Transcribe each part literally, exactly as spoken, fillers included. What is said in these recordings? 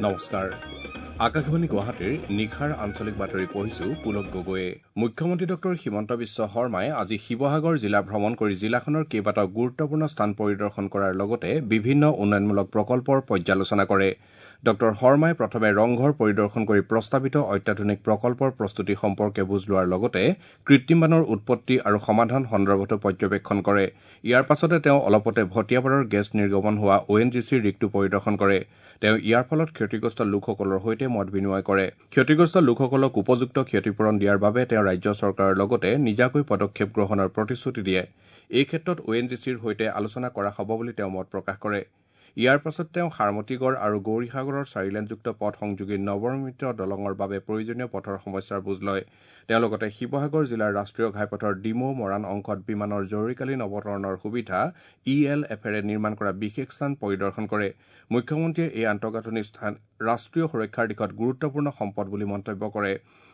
নমস্কাৰ, আকাশবাণী গুৱাহাটীৰ নিশাৰ আঞ্চলিক বাতৰি পঢ়িছো পুলক গগৈয়ে। মুখ্যমন্ত্ৰী ডক্টৰ হিমন্ত বিশ্ব শৰ্মাই আজি শিৱসাগৰ জিলা ভ্ৰমণ কৰি জিলাখনৰ কেইবাটাও গুৰুত্বপূৰ্ণ স্থান পৰিদৰ্শন কৰাৰ লগতে বিভিন্ন উন্নয়নমূলক প্ৰকল্পৰ পৰ্যালোচনা কৰে। ডক্টৰ শৰ্মাই প্ৰথমে ৰংঘৰ পৰিদৰ্শন কৰি প্ৰস্তাৱিত অত্যাধুনিক প্ৰকল্পৰ প্ৰস্তুতি সম্পৰ্কে বুজ লোৱাৰ লগতে কৃত্ৰিম বানৰ উৎপত্তি আৰু সমাধান সন্দৰ্ভতো পৰ্যবেক্ষণ কৰে। ইয়াৰ পাছতে তেওঁ অলপতে ভটিয়াপাৰৰ গেছ নিৰ্গমন হোৱা অ' এন জি চিৰ ৰিগটো পৰিদৰ্শন কৰে। তেওঁ ইয়াৰ ফলত ক্ষতিগ্ৰস্ত লোকসকলৰ সৈতে মত বিনিময় কৰে। ক্ষতিগ্ৰস্ত লোকসকলক উপযুক্ত ক্ষতিপূৰণ দিয়াৰ বাবে তেওঁ ৰাজ্য চৰকাৰৰ লগতে নিজাকৈ পদক্ষেপ গ্ৰহণৰ প্ৰতিশ্ৰুতি দিয়ে। এই ক্ষেত্ৰত অ' এন জি চিৰ সৈতে আলোচনা কৰা হ'ব বুলি তেওঁ মত প্ৰকাশ কৰে। ইয়াৰ পাছত তেওঁ সাৰমতীগড় আৰু গৌৰীসাগৰৰ চাৰিলেনযুক্ত পথ সংযোগী নৱনিৰ্মিত দলঙৰ বাবে প্ৰয়োজনীয় পথৰ সমস্যাৰ বুজ লয়। তেওঁ লগতে শিৱসাগৰ জিলাৰ ৰাষ্ট্ৰীয় ঘাইপথৰ ডিমৌ মৰাণ অংশত বিমানৰ জৰুৰীকালীন অৱতৰণৰ সুবিধা ই এল এফেৰে নিৰ্মাণ কৰা বিশেষ স্থান পৰিদৰ্শন কৰে। মুখ্যমন্ত্ৰীয়ে এই আন্তঃগাঁথনি স্থান ৰাষ্ট্ৰীয় সুৰক্ষাৰ দিশত গুৰুত্বপূৰ্ণ সম্পদ বুলি মন্তব্য কৰে।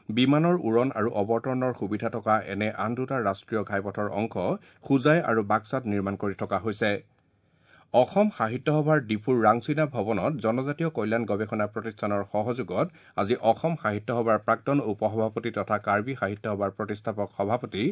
বিমানৰ উৰণ আৰু অৱতৰণৰ সুবিধা থকা এনে আন দুটা ৰাষ্ট্ৰীয় ঘাইপথৰ অংশ হোজাই আৰু বাক্সাত নিৰ্মাণ কৰি থকা হৈছে। অসম সাহিত্য সভাৰ ডিফুৰ ৰাংচিনা ভৱনত জনজাতীয় কল্যাণ গৱেষণা প্ৰতিষ্ঠানৰ সহযোগত আজি অসম সাহিত্য সভাৰ প্ৰাক্তন উপসভাপতি তথা কাৰ্বি সাহিত্য সভাৰ প্ৰতিষ্ঠাপক সভাপতি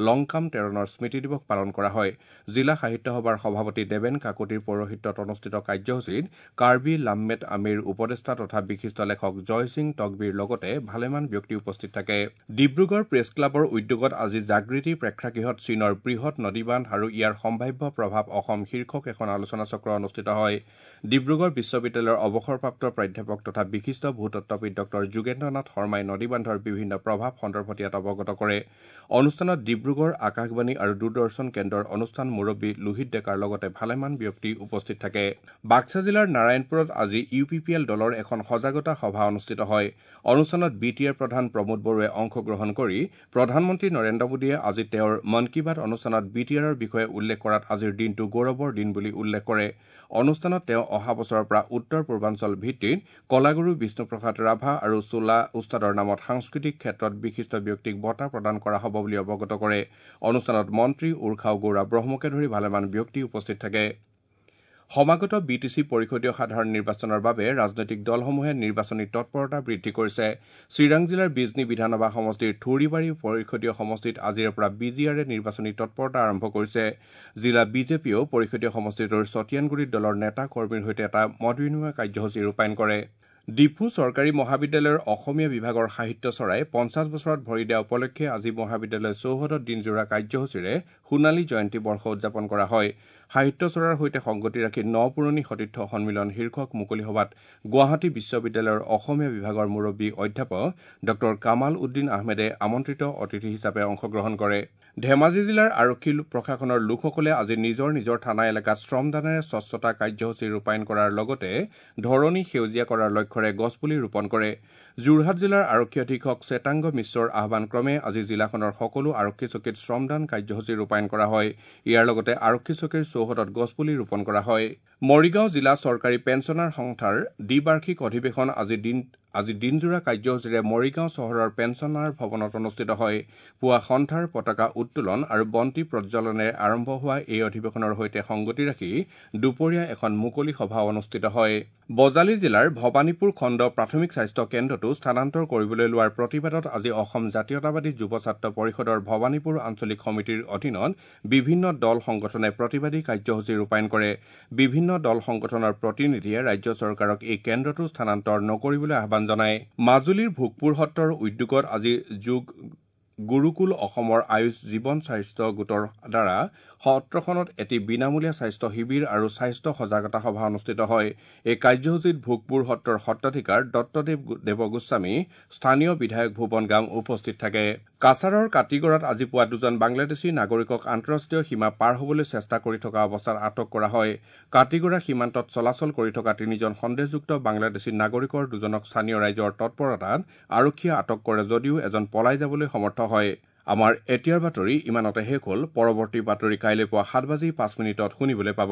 লংকাম টেৰণৰ স্মৃতি দিৱস পালন কৰা হয়। জিলা সাহিত্য সভাৰ সভাপতি দেৱেন কাকতিৰ পৌৰোহিত্যত অনুষ্ঠিত কাৰ্যসূচীত কাৰ্বি লাম্মেট আমিৰ উপদেষ্টা তথা বিশিষ্ট লেখক জয়সিং তকবীৰ লগতে ভালেমান ব্যক্তি উপস্থিত থাকে। ডিব্ৰুগড় প্ৰেছ ক্লাবৰ উদ্যোগত আজি জাগৃতি প্ৰেক্ষাগৃহত চীনৰ বৃহৎ নদীবান্ধ আৰু ইয়াৰ সম্ভাৱ্য প্ৰভাৱ অসম শীৰ্ষক এখন আলোচনা চক্ৰ অনুষ্ঠিত হয়। ডিব্ৰুগড় বিশ্ববিদ্যালয়ৰ অৱসৰপ্ৰাপ্ত প্ৰাধ্যাপক তথা বিশিষ্ট ভূতত্ত্ববিদ ডক্টৰ যোগেন্দ্ৰ নাথ শৰ্মাই নদীবান্ধৰ বিভিন্ন প্ৰভাৱ সন্দৰ্ভত ইয়াত অৱগত কৰে। অনুষ্ঠানত ডিব্ৰুগড় আকাশবাণী আৰু দূৰদৰ্শন কেন্দ্ৰৰ অনুষ্ঠান মুৰব্বী লোহিত ডেকাৰ লগতে ভালেমান ব্যক্তি উপস্থিত থাকে। বাক্সা জিলাৰ নাৰায়ণপুৰত আজি ইউ পি পি এল দলৰ এখন সজাগতা সভা অনুষ্ঠিত হয়। অনুষ্ঠানত বি টি আৰ প্ৰধান প্ৰমোদ বড়োৱে অংশগ্ৰহণ কৰি প্ৰধানমন্ত্ৰী নৰেন্দ্ৰ মোদীয়ে আজি তেওঁৰ মন কী বাত অনুষ্ঠানত বি টি আৰৰ বিষয়ে উল্লেখ কৰাত আজিৰ দিনটো গৌৰৱৰ দিন বুলি উল্লেখ কৰে। অনুষ্ঠানত তেওঁ অহা বছৰৰ পৰা উত্তৰ পূৰ্বাঞ্চল ভিত্তিত কলাগুৰু বিষ্ণুপ্ৰসাদ ৰাভা আৰু চোলা উস্তাদৰ নামত সাংস্কৃতিক ক্ষেত্ৰত বিশিষ্ট ব্যক্তিক বঁটা প্ৰদান কৰা হ'ব বুলি অৱগত কৰে। অনুষ্ঠানত মন্ত্ৰী উৰ্খাও গৌৰা ব্ৰহ্মকে ধৰি ভালেমান ব্যক্তি উপস্থিত থাকে। সমাগত বি টি চি পৰিষদীয় সাধাৰণ নিৰ্বাচনৰ বাবে ৰাজনৈতিক দলসমূহে নিৰ্বাচনী তৎপৰতা বৃদ্ধি কৰিছে। চিৰাং জিলাৰ বিজনী বিধানসভা সমষ্টিৰ থুৰিবাৰী পৰিষদীয় সমষ্টিত আজিৰে পৰা বি জি আৰে নিৰ্বাচনী তৎপৰতা আৰম্ভ কৰিছে। জিলা বিজেপিয়েও পৰিষদীয় সমষ্টিটোৰ ছটিয়ানগুৰিত দলৰ নেতা কৰ্মীৰ সৈতে এটা মত বিনিময় কাৰ্যসূচী ৰূপায়ণ কৰে। ডিফু চৰকাৰী মহাবিদ্যালয়ৰ অসমীয়া বিভাগৰ সাহিত্য চৰাই পঞ্চাছ বছৰত ভৰি দিয়া উপলক্ষে আজি মহাবিদ্যালয় চৌহদত দিনজোৰা কাৰ্যসূচীৰে সোণালী জয়ন্তী বৰ্ষ উদযাপন কৰা হয়। সাহিত্য চৰাৰ সৈতে সংগতি ৰাখি ন পুৰণি সতীৰ্থ সন্মিলন শীৰ্ষক মুকলি সভাত গুৱাহাটী বিশ্ববিদ্যালয়ৰ অসমীয়া বিভাগৰ মুৰব্বী অধ্যাপক ডক্টৰ কামাল উদ্দিন আহমেদে আমন্ত্ৰিত অতিথি হিচাপে অংশগ্ৰহণ কৰে। ধেমাজি জিলাৰ আৰক্ষী প্ৰশাসনৰ লোকসকলে আজি নিজৰ নিজৰ থানা এলেকাত শ্ৰমদানেৰে স্বচ্ছতা কাৰ্যসূচী ৰূপায়ণ কৰাৰ লগতে ধৰণী সেউজীয়া কৰাৰ লক্ষ্যৰে গছপুলি ৰোপণ কৰে। যোৰহাট জিলাৰ আৰক্ষী অধীক্ষক শ্বেতাংগ মিশ্ৰৰ আহ্বানক্ৰমে আজি জিলাখনৰ সকলো আৰক্ষী চকীত শ্ৰমদান কাৰ্যসূচী ৰূপায়ণ কৰা হয়। ইয়াৰ লগতে আৰক্ষী চকীৰ চৌহদত গছপুলি ৰোপণ কৰা হয়। মৰিগাঁও জিলা চৰকাৰী পেঞ্চনাৰ সংস্থাৰ দ্বিবাৰ্ষিক অধিৱেশন আজি দিন আজি দিনজোৰা কাৰ্যসূচীৰে মৰিগাঁও চহৰৰ পেঞ্চনাৰ ভৱনত অনুষ্ঠিত হয়। পুৱা সন্থাৰ পতাকা উত্তোলন আৰু বন্তি প্ৰজ্বলনেৰে আৰম্ভ হোৱা এই অধিৱেশনৰ সৈতে সংগতি ৰাখি দুপৰীয়া এখন মুকলি সভা অনুষ্ঠিত হয়। বজালী জিলাৰ ভৱানীপুৰ খণ্ড প্ৰাথমিক স্বাস্থ্য কেন্দ্ৰটো স্থানান্তৰ কৰিবলৈ লোৱাৰ প্ৰতিবাদত আজি অসম জাতীয়তাবাদী যুৱ ছাত্ৰ পৰিষদৰ ভৱানীপুৰ আঞ্চলিক সমিতিৰ অধীনত বিভিন্ন দল সংগঠনে প্ৰতিবাদী কাৰ্যসূচী ৰূপায়ণ কৰে। বিভিন্ন দল সংগঠনৰ প্ৰতিনিধিয়ে ৰাজ্য চৰকাৰক এই কেন্দ্ৰটো স্থানান্তৰ নকৰিবলৈ আহ্বান জনায়। মাজুলীৰ ভোগপুৰ সত্ৰৰ উদ্যোগত আজি যোগ গুৰুকুল অসমৰ আয়ুষ জীৱন স্বাস্থ্য গোটৰ দ্বাৰা সত্ৰখনত এটি বিনামূলীয়া স্বাস্থ্য শিবিৰ আৰু স্বাস্থ্য সজাগতা সভা অনুষ্ঠিত হয়। এই কাৰ্যসূচীত ভোগপুৰ সত্ৰৰ সত্ৰাধিকাৰ দত্তদেৱ দেৱগোস্বামী, স্থানীয় বিধায়ক ভুৱন গাম উপস্থিত থাকে। কাছাৰৰ কাটিগড়াত আজি পুৱা দুজন বাংলাদেশী নাগৰিকক আন্তঃৰাষ্ট্ৰীয় সীমা পাৰ হ'বলৈ চেষ্টা কৰি থকা অৱস্থাত আটক কৰা হয়। কাটিগড়া সীমান্তত চলাচল কৰি থকা তিনিজন সন্দেহযুক্ত বাংলাদেশী নাগৰিকৰ দুজনক স্থানীয় ৰাইজৰ তৎপৰতাত আৰক্ষীয়ে আটক কৰে যদিও এজন পলাই যাবলৈ সমৰ্থ হয়। আমাৰ এতিয়াৰ বাতৰি ইমানতে শেষ হ'ল। পৰৱৰ্তী বাতৰি কাইলৈ পুৱা সাত বাজি পাঁচ মিনিটত শুনিবলৈ পাব।